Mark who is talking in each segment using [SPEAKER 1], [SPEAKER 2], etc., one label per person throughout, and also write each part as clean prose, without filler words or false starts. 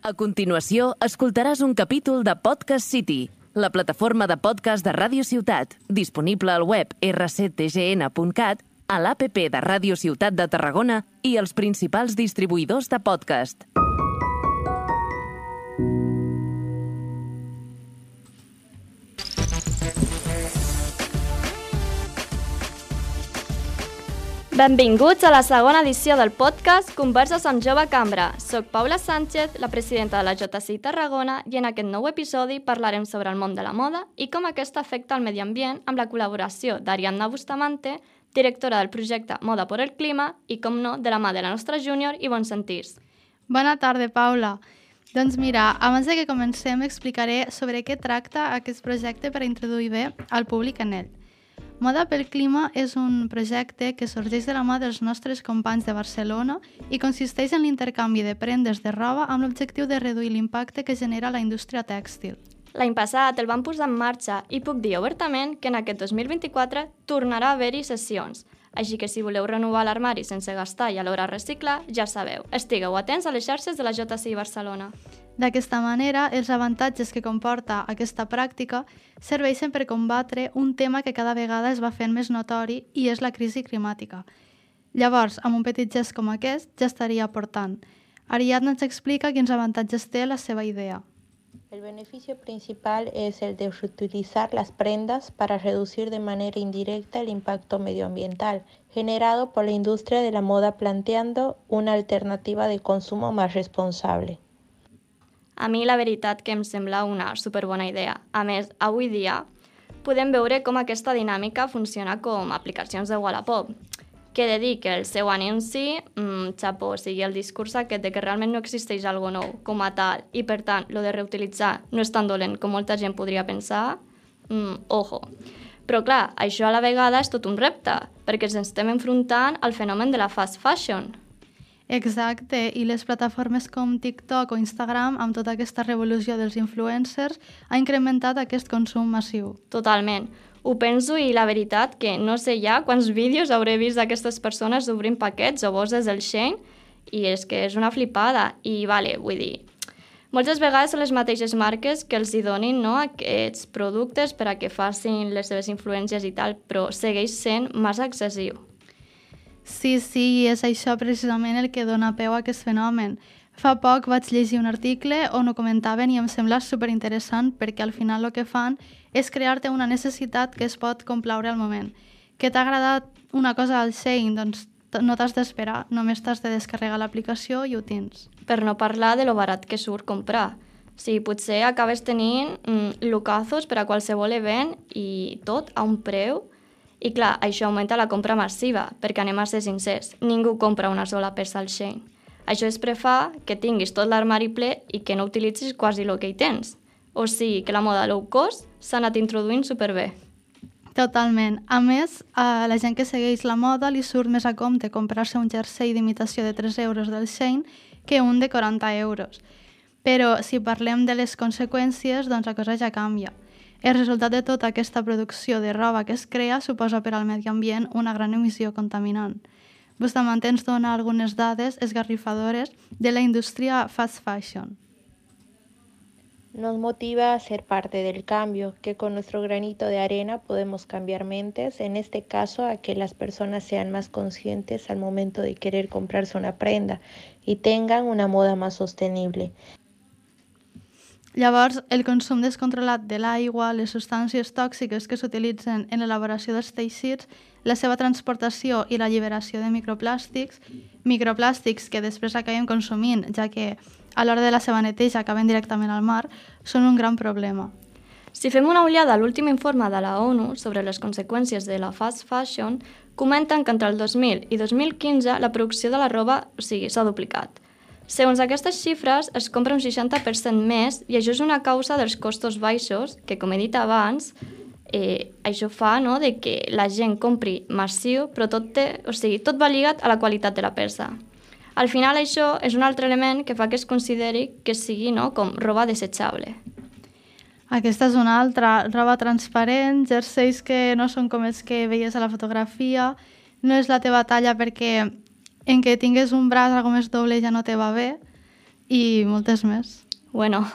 [SPEAKER 1] A continuació, escoltaràs un capítol de Podcast City, la plataforma de podcast de Ràdio Ciutat, disponible al web rctgn.cat, a l'APP de Ràdio Ciutat de Tarragona i els principals distribuïdors de podcast.
[SPEAKER 2] Benvinguts a la segona edició del podcast Converses amb Jove Cambra. Soc Paula Sánchez, la presidenta de la JCI Tarragona, i en aquest nou episodi parlarem sobre el món de la moda i com aquesta afecta el medi ambient amb la col·laboració d'Ariadna Bustamante, directora del projecte Moda por el Clima i, com no, de la mà de la nostra júnior Ivonne Sentirs.
[SPEAKER 3] Bona tarda, Paula. Doncs mira, abans de que comencem explicaré sobre què tracta aquest projecte per introduir bé al públic en ell. Moda pel Clima és un projecte que sorgeix de la mà dels nostres companys de Barcelona i consisteix en l'intercanvi de prendes de roba amb l'objectiu de reduir l'impacte que genera la indústria tèxtil.
[SPEAKER 2] L'any passat el vam posar en marxa i puc dir obertament que en aquest 2024 tornarà a haver-hi sessions. Així que si voleu renovar l'armari sense gastar i alhora reciclar, ja sabeu, estigueu atents a les xarxes de la JCI Barcelona.
[SPEAKER 3] D'aquesta manera, els avantatges que comporta aquesta pràctica serveixen per combatre un tema que cada vegada es va fent més notori i és la crisi climàtica. Llavors, amb un petit gest com aquest, ja estaria aportant. Ariadna ens explica quins avantatges té la seva idea.
[SPEAKER 4] El beneficio principal es el de reutilizar las prendas para reducir de manera indirecta el impacto medioambiental generado por la industria de la moda, planteando una alternativa de consumo más responsable.
[SPEAKER 2] A mi la veritat que em sembla una superbona idea. A més, avui dia podem veure com aquesta dinàmica funciona com aplicacions de Wallapop, que he de dir que el seu anunci, xapó, o sigui, el discurs aquest de que realment no existeix algo nou com a tal i, per tant, lo de reutilitzar no és tan dolent com molta gent podria pensar, ojo. Però, clar, això a la vegada és tot un repte, perquè ens estem enfrontant al fenomen de la fast fashion.
[SPEAKER 3] Exacte, i les plataformes com TikTok o Instagram, amb tota aquesta revolució dels influencers, ha incrementat aquest consum massiu.
[SPEAKER 2] Totalment. Ho penso i la veritat que no sé ja quants vídeos hauré vist d'aquestes persones obrint paquets o bosses del Shein i és que és una flipada. I vull dir, moltes vegades són les mateixes marques que els hi donin aquests productes per a que facin les seves influències i tal, però segueix sent massa excessiu.
[SPEAKER 3] Sí, i és això precisament el que dona peu a aquest fenomen. Fa poc vaig llegir un article on ho comentaven i em sembla superinteressant perquè al final el que fan és crear-te una necessitat que es pot complaure al moment. Que t'ha agradat una cosa al Shein, doncs no t'has d'esperar, només t'has de descarregar l'aplicació i ho tens.
[SPEAKER 2] Per no parlar de lo barat que surt comprar. Sí, potser acabes tenint lucazos per a qualsevol event i tot a un preu. I clar, això augmenta la compra massiva, perquè anem a ser sincers, ningú compra una sola peça al Shein. Això es fa que tinguis tot l'armari ple i que no utilitzis quasi el que hi tens. O sigui que la moda low cost s'ha anat introduint superbé.
[SPEAKER 3] Totalment. A més, a la gent que segueix la moda li surt més a compte comprar-se un jersei d'imitació de 3 euros del Shein que un de 40 euros. Però si parlem de les conseqüències, doncs la cosa ja canvia. El resultat de tota aquesta producció de roba que es crea suposa per al medi ambient una gran emissió contaminant. Bustamante ens dona algunes dades esgarrifadores de la indústria fast fashion.
[SPEAKER 4] Nos motiva a ser parte del cambio, que con nuestro granito de arena podemos cambiar mentes, en este caso a que las personas sean más conscientes al momento de querer comprarse una prenda y tengan una moda más sostenible.
[SPEAKER 3] Llavors, el consum descontrolat de l'aigua, les substàncies tòxiques que s'utilitzen en l'elaboració dels teixits, la seva transportació i l'alliberació de microplàstics que després acabem consumint, ja que a l'hora de la seva neteja acaben directament al mar, són un gran problema.
[SPEAKER 2] Si fem una ullada a l'últim informe de la ONU sobre les conseqüències de la fast fashion, comenten que entre el 2000 i 2015 la producció de la roba s'ha duplicat. Segons aquestes xifres, es compra un 60% més i això és una causa dels costos baixos, que, com he dit abans, això fa de que la gent compri massiu, però tot va lligat a la qualitat de la peça. Al final, això és un altre element que fa que es consideri que sigui com roba desechable.
[SPEAKER 3] Aquesta és una altra, roba transparent, jerseis que no són com els que veies a la fotografia, no és la teva talla perquè en què tingues un braç algo més doble ja no te va bé i moltes més.
[SPEAKER 2] Bueno,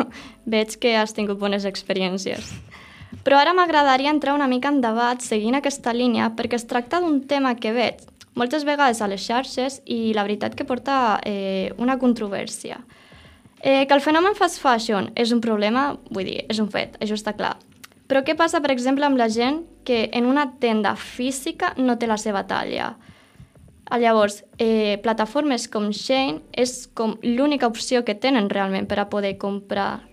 [SPEAKER 2] veig que has tingut bones experiències. Però ara m'agradaria entrar una mica en debat seguint aquesta línia perquè es tracta d'un tema que veig moltes vegades a les xarxes i la veritat que porta una controvèrsia. Que el fenomen fast fashion és un problema, vull dir, és un fet, això està clar. Però què passa, per exemple, amb la gent que en una tenda física no té la seva talla? Llavors, plataformes com Shein és com l'única opció que tenen realment per a poder comprar.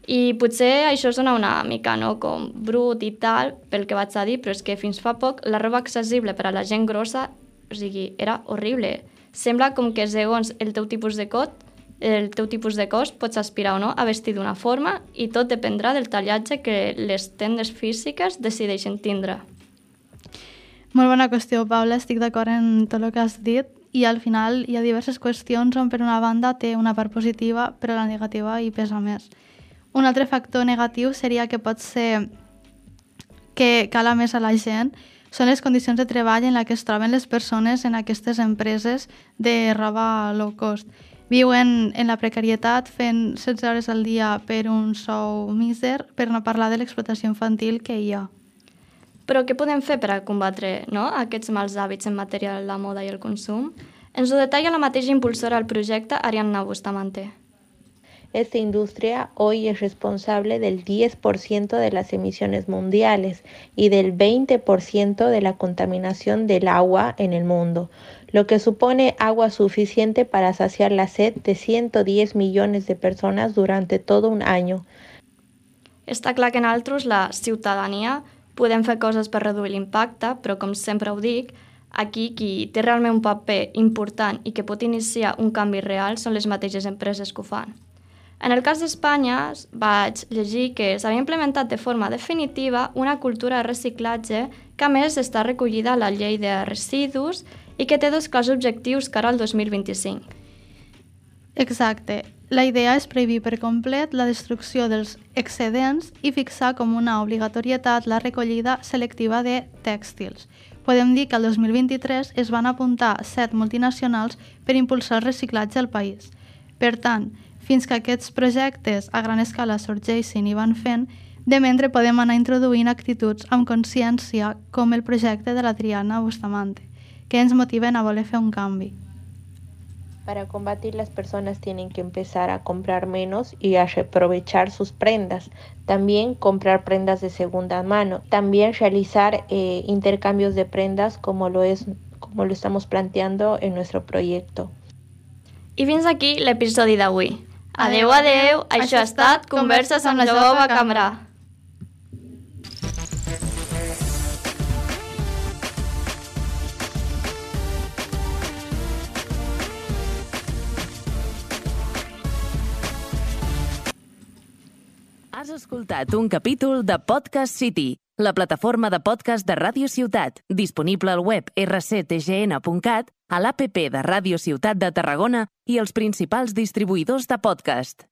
[SPEAKER 2] I potser això sona una mica, no?, com brut i tal, pel que vaig a dir, però és que fins fa poc la roba accessible per a la gent grossa, o sigui, era horrible. Sembla com que segons el teu tipus de cos pots aspirar o no a vestir d'una forma i tot dependrà del tallatge que les tendes físiques decideixen tindre.
[SPEAKER 3] Molt bona qüestió, Paula, estic d'acord en tot el que has dit i al final hi ha diverses qüestions on per una banda té una part positiva però la negativa hi pesa més. Un altre factor negatiu seria que pot ser que cala més a la gent són les condicions de treball en què es troben les persones en aquestes empreses de roba low cost. Viuen en la precarietat fent 16 hores al dia per un sou míser, per no parlar de l'explotació infantil que hi ha.
[SPEAKER 2] Però què podem fer per a combatre, no?, aquests mals hàbits en matèria de la moda i el consum? Ens ho detalla la mateixa impulsora del projecte, Ariadna Bustamante.
[SPEAKER 4] Esta industria hoy es responsable del 10% de las emisiones mundiales y del 20% de la contaminación del agua en el mundo, lo que supone agua suficiente para saciar la sed de 110 millones de personas durante todo un año.
[SPEAKER 2] Està clar que nosaltres, la ciutadania, podem fer coses per reduir l'impacte, però com sempre ho dic, aquí qui té realment un paper important i que pot iniciar un canvi real són les mateixes empreses que ho fan. En el cas d'Espanya vaig llegir que s'havia implementat de forma definitiva una cultura de reciclatge que a més està recollida a la llei de residus i que té 2 clars objectius cara al 2025.
[SPEAKER 3] Exacte. La idea és prohibir per complet la destrucció dels excedents i fixar com una obligatorietat la recollida selectiva de tèxtils. Podem dir que el 2023 es van apuntar 7 multinacionals per impulsar el reciclatge al país. Per tant, fins que aquests projectes a gran escala sorgeixin i van fent, de mentre podem anar introduint actituds amb consciència com el projecte de la Ariadna Bustamante, que ens motiven a voler fer un canvi.
[SPEAKER 4] Para combatir, las personas tienen que empezar a comprar menos y a aprovechar sus prendas. También comprar prendas de segunda mano. También realizar intercambios de prendas como lo estamos planteando en nuestro proyecto.
[SPEAKER 2] I fins aquí l'episodi d'avui. Adeu, adeu, això ha estat Converses amb la Jove Cambra.
[SPEAKER 1] Has escoltat un capítol de Podcast City, la plataforma de podcast de Ràdio Ciutat, disponible al web rctgn.cat, a l'APP de Ràdio Ciutat de Tarragona i els principals distribuïdors de podcast.